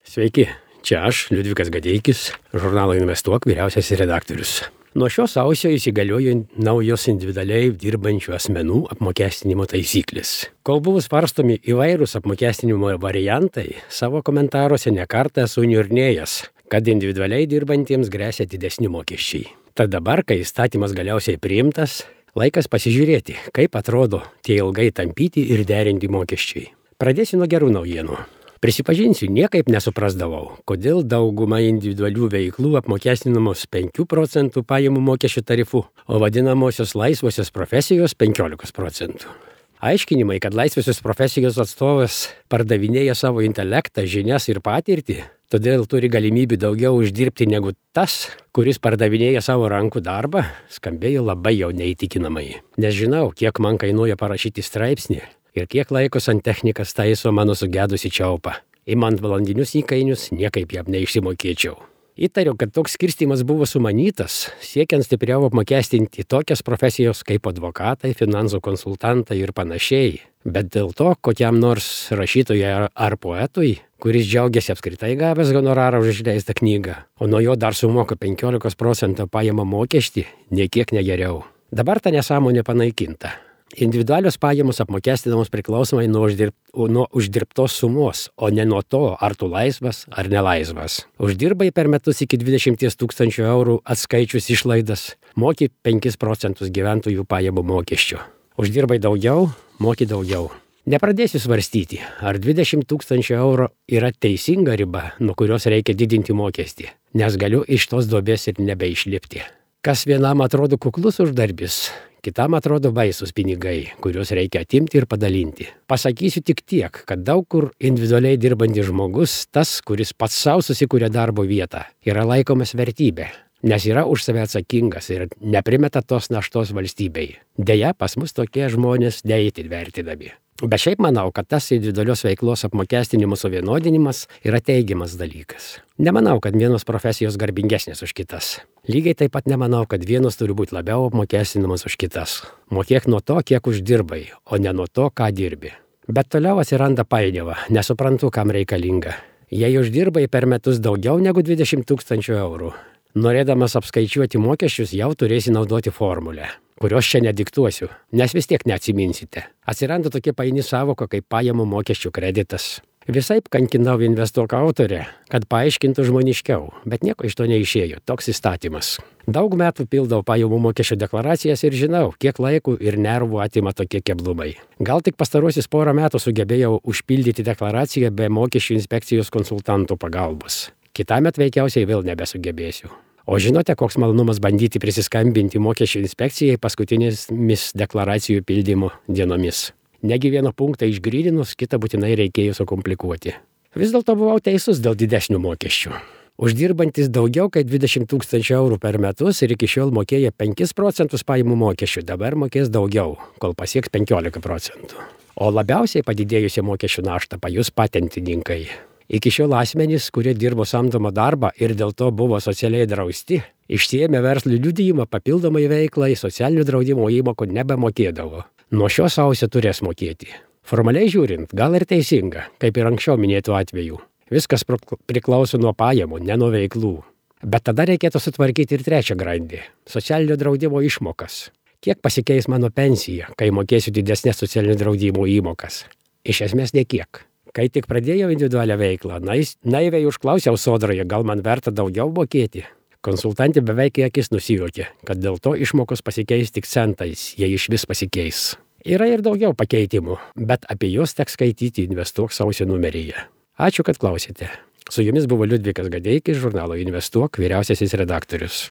Sveiki, čia aš, Liudvikas Gadeikis, žurnalo Investuok vyriausiasis redaktorius. Nuo šio sausio įsigaliojo naujos individualiai dirbančių asmenų apmokestinimo taisyklės. Kol buvo svarstomi įvairūs apmokestinimo variantai, savo komentaruose nekartą esu niurnėjęs, kad individualiai dirbantiems gresia didesni mokesčiai. Tad dabar, kai įstatymas galiausiai priimtas, laikas pasižiūrėti, kaip atrodo tie ilgai tampyti ir derinti mokesčiai. Pradėsiu nuo gerų naujienų. Prisipažinsiu, niekaip nesuprasdavau, kodėl dauguma individualių veiklų apmokestinamos 5 procentų pajamų mokesčių tarifu, o vadinamosios laisvosios profesijos 15 procentų. Aiškinimai, kad laisvosios profesijos atstovas pardavinėja savo intelektą, žinias ir patirtį, todėl turi galimybių daugiau uždirbti negu tas, kuris pardavinėja savo rankų darbą, skambėjo labai jau neįtikinamai. Nes žinau, kiek man kainuoja parašyti straipsnį ir kiek laiko santechnikas taiso mano sugedusi čiaupą. Imant valandinius įkainius, niekaip jam neišsimokėčiau. Įtariu, kad toks skirstymas buvo sumanytas, siekiant stipriau apmokestinti tokias profesijos kaip advokatai, finansų konsultantai ir panašiai. Bet dėl to, kokiam nors rašytojui ar poetui, kuris džiaugiasi apskritai gavęs honorarą už išleistą knygą, o nuo jo dar sumoka 15 procentų pajamą mokestį, niekiek negeriau. Dabar ta nesąmonė panaikinta. Individualios pajamos apmokestinamos priklausomai nuo uždirbtos sumos, o ne nuo to, ar tu laisvas ar nelaisvas. Uždirbai per metus iki 20 000 eurų atskaičius išlaidas, moki 5 procentus gyventojų pajamų mokesčio. Uždirbai daugiau, moki daugiau. Nepradėsiu svarstyti, ar 20 000 eurų yra teisinga riba, nuo kurios reikia didinti mokestį, nes galiu iš tos duobės ir nebeišlipti. Kas vienam atrodo kuklus uždarbis, kitam atrodo baisus pinigai, kuriuos reikia atimti ir padalinti. Pasakysiu tik tiek, kad daug kur individualiai dirbantis žmogus, tas, kuris pats savo susikuria darbo vietą, yra laikomas vertybė, nes yra už save atsakingas ir neprimeta tos naštos valstybei. Deja, pas mus tokie žmonės neįtin vertinami. Bet šiaip manau, kad tas individualios veiklos apmokestinimo suvienodinimas yra teigiamas dalykas. Nemanau, kad vienos profesijos garbingesnės už kitas. Lygiai taip pat nemanau, kad vienos turi būti labiau apmokestinamas už kitas. Mokėk nuo to, kiek uždirbai, o ne nuo to, ką dirbi. Bet toliau atsiranda painiava, nesuprantu, kam reikalinga. Jei uždirbai per metus daugiau negu 20 000 eurų, norėdamas apskaičiuoti mokesčius, jau turėsi naudoti formulę, kurios čia nediktuosiu, nes vis tiek neatsiminsite. Atsiranda tokia paini savoka kaip pajamų mokesčių kreditas. Visaip kankinau Investuok autorę, kad paaiškintų žmoniškiau, bet nieko iš to neišėjo, toks įstatymas. Daug metų pildau pajamų mokesčių deklaracijas ir žinau, kiek laiko ir nervų atima tokie keblumai. Gal tik pastaruosius porą metų sugebėjau užpildyti deklaraciją be mokesčių inspekcijos konsultantų pagalbos. Kitąmet veikiausiai vėl nebesugebėsiu. O žinote, koks malonumas bandyti prisiskambinti mokesčių inspekcijai paskutinėmis deklaracijų pildymo dienomis. Negi vieną punktą išgrydinus, kitą būtinai reikėjo sukomplikuoti. Vis dėlto buvau teisus dėl didesnių mokesčių. Uždirbantis daugiau kaip 20 000 eurų per metus ir iki šiol mokėjo 5 procentus pajamų mokesčių, dabar mokės daugiau, kol pasieks 15 procentų. O labiausiai padidėjusią mokesčių naštą pajus patentininkai. Iki šiol asmenys, kurie dirbo samdomą darbą ir dėl to buvo socialiai drausti, išsiėmė verslo liudijimą papildomai veiklai socialinio draudimo įmokų nebemokėdavo. Nuo šio sausio turės mokėti. Formaliai žiūrint, gal ir teisinga, kaip ir anksčiau minėtų atveju. Viskas priklauso nuo pajamų, ne nuo veiklų. Bet tada reikėtų sutvarkyti ir trečią grandį – socialinio draudimo išmokas. Kiek pasikeis mano pensija, kai mokėsiu didesnės socialinio draudimo įmokas? Iš esmės nekiek. Kai tik pradėjau individualią veiklą, naiviai užklausiau sodroje, gal man verta daugiau mokėti. Konsultantė beveik į akis nusijuokė, kad dėl to išmokos pasikeis tik centais, jei išvis pasikeis. Yra ir daugiau pakeitimų, bet apie juos teks skaityti Investuok sausio numeryje. Ačiū, kad klausėte. Su jumis buvo Liudvikas Gadeikis, žurnalo Investuok vyriausiasis redaktorius.